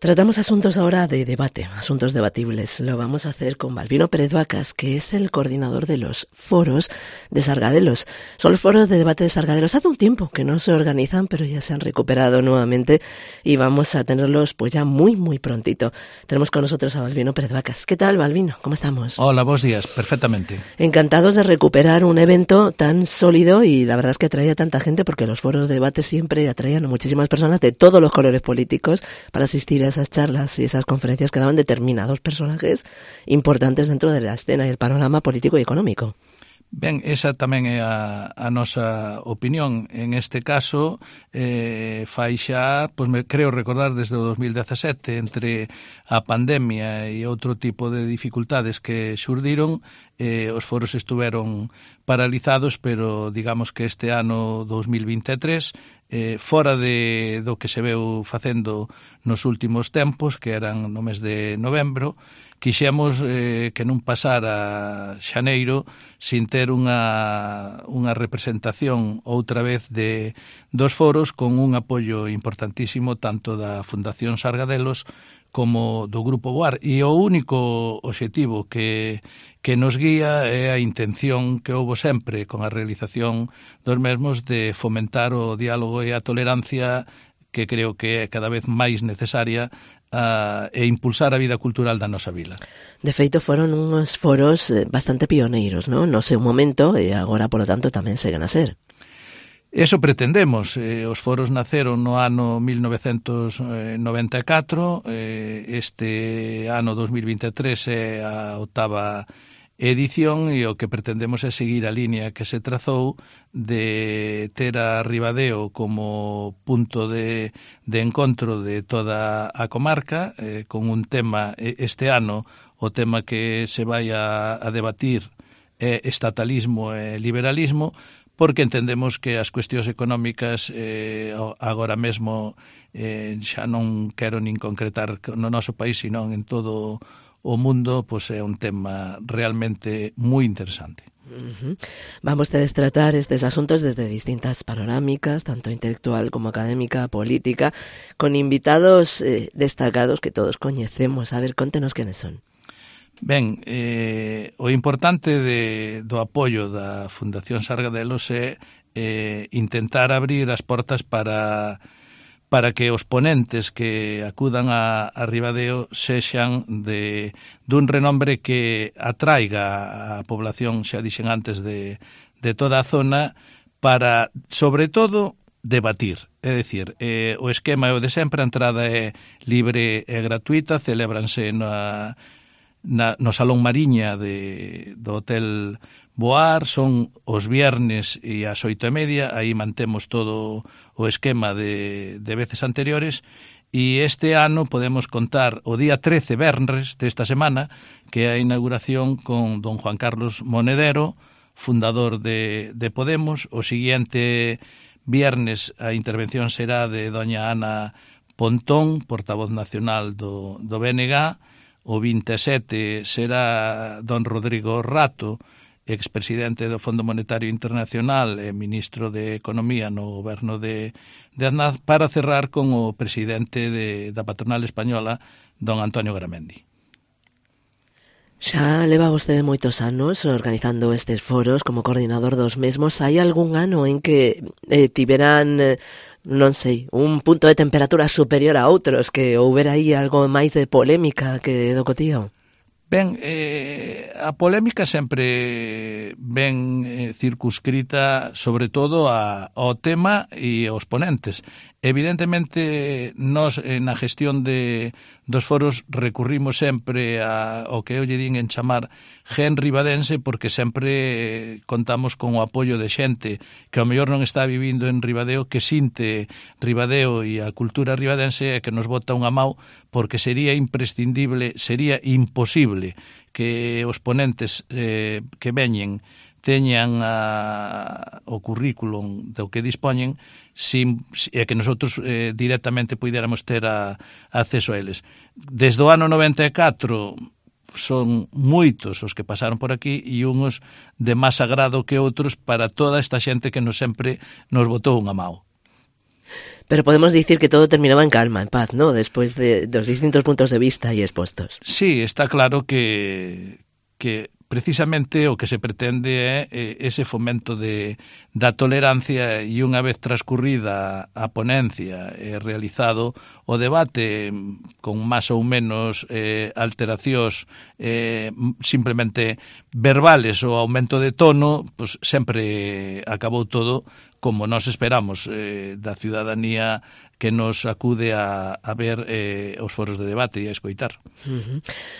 Tratamos asuntos ahora de debate, asuntos debatibles. Lo vamos a hacer con Balbino Pérez Vacas, que es el coordinador de los foros de Sargadelos. Son los foros de debate de Sargadelos. Hace un tiempo que no se organizan, pero ya se han recuperado nuevamente y vamos a tenerlos pues ya muy prontito. Tenemos con nosotros a Balbino Pérez Vacas. ¿Qué tal, Balbino? ¿Cómo estamos? Hola, buenos días. Perfectamente. Encantados de recuperar un evento tan sólido y la verdad es que atrae a tanta gente porque los foros de debate siempre atraían a muchísimas personas de todos los colores políticos para asistir a esas charlas y esas conferencias que daban determinados personajes importantes dentro de la escena y el panorama político y económico. Ben, esa tamén é a nosa opinión. En este caso, fai xa, pois me creo recordar desde o 2017, entre a pandemia e outro tipo de dificultades que xurdiron, os foros estuveron paralizados, pero digamos que este ano 2023, fora do que se veu facendo nos últimos tempos, que eran no mes de novembro, quixemos que non pasara xaneiro sin ter unha representación outra vez dos foros con un apoio importantísimo tanto da Fundación Sargadelos como do Grupo Boar. E o único obxectivo que nos guía é a intención que houbo sempre con a realización dos mesmos de fomentar o diálogo e a tolerancia, que creo que é cada vez máis necesaria, e impulsar a vida cultural da nosa vila. De feito, foron uns foros bastante pioneiros, non? No seu momento, e agora, polo tanto, tamén seguen a ser. Eso pretendemos. Os foros naceron no ano 1994, este ano 2023 é a 8ª edición e o que pretendemos é seguir a línea que se trazou de ter a Ribadeo como punto de encontro de toda a comarca, con un tema, este ano, o tema que se vai a debatir é estatalismo e liberalismo, porque entendemos que as cuestións económicas agora mesmo xa non quero nin concretar no noso país, sino en todo o mundo, pois é un tema realmente moi interesante. Vamos a tratar estes asuntos desde distintas panorámicas, tanto intelectual como académica, política, con invitados destacados que todos coñecemos. A ver, contenos quenes son. Ben, o importante do apoio da Fundación Sargadelos é intentar abrir as portas para que os ponentes que acudan a Ribadeo sexan dun renombre que atraiga a población, xa dixen antes, de toda a zona, para, sobre todo, debatir. É dicir, o esquema é o de sempre, a entrada é libre e gratuita, celébranse no Salón Mariña do Hotel Boar, son os viernes e ás 8:30, aí mantemos todo o esquema de veces anteriores, e este ano podemos contar o día 13, venres, desta semana, que é a inauguración con don Juan Carlos Monedero, fundador de Podemos. O siguiente viernes a intervención será de doña Ana Pontón, portavoz nacional do BNG. O 27 será don Rodrigo Rato, expresidente do Fondo Monetario Internacional e ministro de Economía no goberno de Aznar, para cerrar con o presidente da patronal española, don Antonio Garamendi. Xa leva vostede moitos anos organizando estes foros como coordinador dos mesmos. Hai algún ano en que tiveran, non sei, un punto de temperatura superior a outros, que houbera aí algo máis de polémica que do cotío? Ben, a polémica sempre ben circunscrita sobre todo ao tema e aos ponentes. Evidentemente, nós na gestión dos foros recurrimos sempre ao que eu lle din en chamar gen ribadense, porque sempre contamos con o apoio de xente que ao mellor non está vivindo en Ribadeo, que sinte Ribadeo e a cultura ribadense e que nos bota unha mau, porque sería imprescindible, sería imposible que os ponentes que veñen teñan o currículum do que dispoñen e que nosotros directamente puidéramos ter acceso a eles. Desde o ano 94 son moitos os que pasaron por aquí e uns de máis agrado que outros para toda esta xente que sempre nos botou unha mao. Pero podemos dicir que todo terminaba en calma, en paz, ¿no? Despois dos distintos puntos de vista aí expostos. Sí, está claro que precisamente o que se pretende é ese fomento da tolerancia, e unha vez transcurrida a ponencia e realizado o debate con máis ou menos alteracións simplemente verbales ou aumento de tono, pues sempre acabou todo como nos esperamos da ciudadanía que nos acude a ver os foros de debate e a escoitar.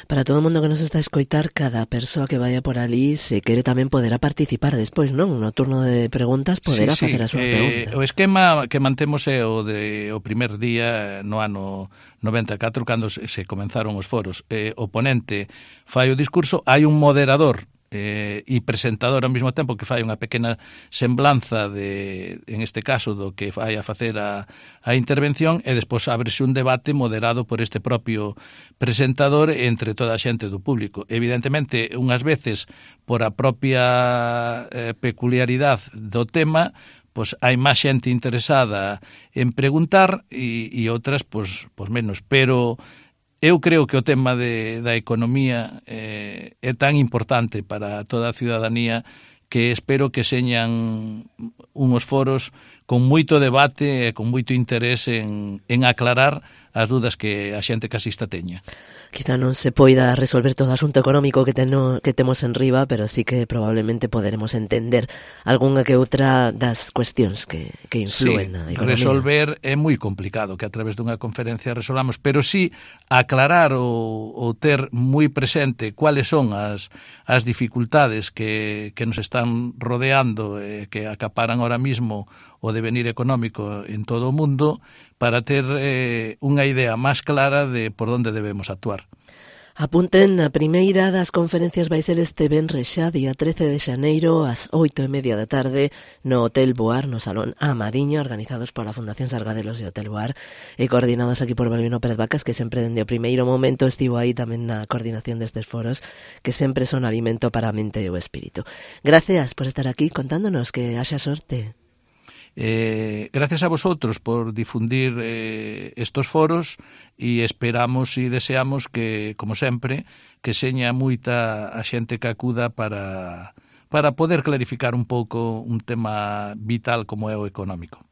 Para todo o mundo que nos está a escoitar, cada persoa que vaya por ali, se quere tamén poderá participar despois, non? No turno de preguntas poderá facer a súa pregunta. O esquema que mantemos é o primer día no ano 94, cando se comenzaron os foros. O ponente fai o discurso, hai un moderador e presentador ao mesmo tempo que fai unha pequena semblanza en este caso do que vai a facer a intervención, e despois ábrese un debate moderado por este propio presentador entre toda a xente do público. Evidentemente, unhas veces por a propia peculiaridade do tema, pois hai máis xente interesada en preguntar e outras pois menos, pero eu creo que o tema da economía é tan importante para toda a ciudadanía que espero que señan unhos foros con moito debate e con moito interés en aclarar as dudas que a xente que asista teña. Quizá non se poida resolver todo o asunto económico que temos en riba, pero sí que probablemente poderemos entender algunha que outra das cuestións que influen na economía. Resolver é moi complicado que a través dunha conferencia resolvamos, pero sí aclarar ou ter moi presente cuáles son as dificultades que nos están rodeando e que acaparan ahora mismo o devenir económico en todo o mundo, para ter unha idea máis clara de por onde debemos actuar. Apunten, a primeira das conferencias vai ser este venres xa, día 13 de xaneiro, ás 8:30 da tarde, no Hotel Boar, no Salón A Mariña, organizados pola Fundación Sargadelos e Hotel Boar, e coordinados aquí por Balbino Pérez Vacas, que sempre dende o primeiro momento estivo aí tamén na coordinación destes foros, que sempre son alimento para a mente e o espírito. Gracias por estar aquí contándonos, que haxa sorte. Gracias a vosotros por difundir estos foros, e esperamos e deseamos que, como sempre, que seña moita a xente que acuda para poder clarificar un pouco un tema vital como é o económico.